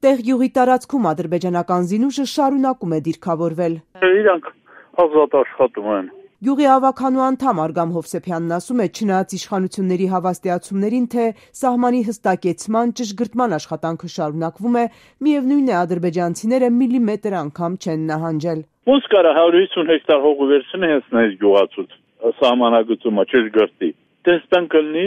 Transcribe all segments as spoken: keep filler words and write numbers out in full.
Տեղ գյուղի տարածքում ադրբեջանական զինուժը շարունակում է դիրքավորվել։ Իրանք ազատ աշխատում են։ Գյուղի ավագանու անդամ Արգամ Հովսեփյանն ասում է, չնայած իշխանությունների հավաստիացումներին, թե սահմանի հստակեցման, ճշգրտման աշխատանքը շարունակվում է, միևնույն է ադրբեջանցիները միլիմետր անգամ չեն նահանջել։ Ոնց կարա հարյուր հիսուն հեկտար հող վերցնի հենց նայից գյուղացուց սահմանագծումը ճշգրտի։ Տեստան կլնի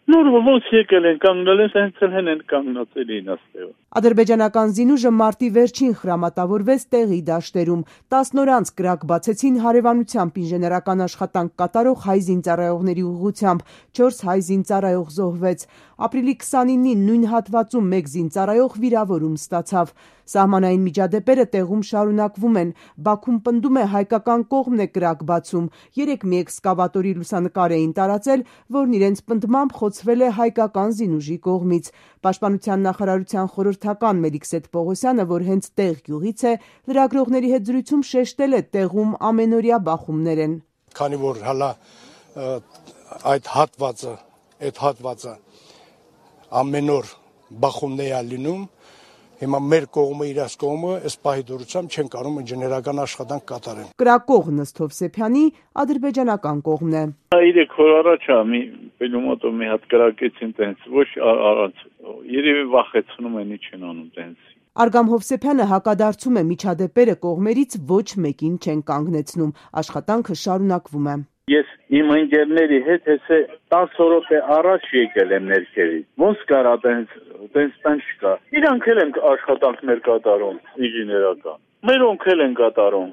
նոր ոնց եկել են կանգնել են, հենց հեն են կանգնացել էին աստեղը։ Ադրբեջանական զինուժը մարտի վերջին խրամատավորվեց տեղի դաշտերում։ տասն օր անց կրակ բացեցին հարևանությամբ ինժեներական աշխատանք կատարող հայ զինծառայողների ուղղությամբ, չորս հայ զինծառայող զոհվեց։ Ապրիլի քսանինին նույն հատվածում մեկ զինծառայող վիրավորում ստացավ։ Սահմանային միջադեպերը տեղում շարունակվում են։ Բաքուն պնդում է հայկական կողմն է կրակ բացում։ Երեկ մի էքսկավատորի լուսանկար էին տարածել, որն իրենց պնդմամբ խոցվել է հայկական զինուժի կողմից։ Պաշտպանության նախարարության խորհրդական Մելիքսեթ Պողոսյանը, որ հենց տեղ գյուղից է, լրագրողների հետ զրույցում շեշտել է տեղում ամենօրյա բախումներ են։ Քանի որ հալա այդ հատվածը, այդ հատվածը ամեն օր բախումներ է լինում, հիմա մեր կողմը իրաց կողմը այս պահի դուրսամ չեն կարող ինժեներական աշխատանք կատարեն։ Կրակող Նստ Հովսեփյանի ադրբեջանական կողմն է։ Երեք օր առաջ մի պելոմոտով մի հատ կրակեցին տենց, ոչ առանց, երևի վախեցնում են, ինչ են անում տենց։ Արգամ Հովսեփյանը հակադարձում է միջադեպերը կողմերից ոչ մեկին չեն կանգնեցնում, աշխատանքը շարունակվում է։ Ես իմ ընկերների հետ հեսե տասը րոպե առաջ եկել եմ ներքևից։ Ոնց կարա տենց, տենց տան չկա։ Իրանք էլ են աշխատանքներ կատարում ինժեներական։ Մերոնք էլ են կատարում։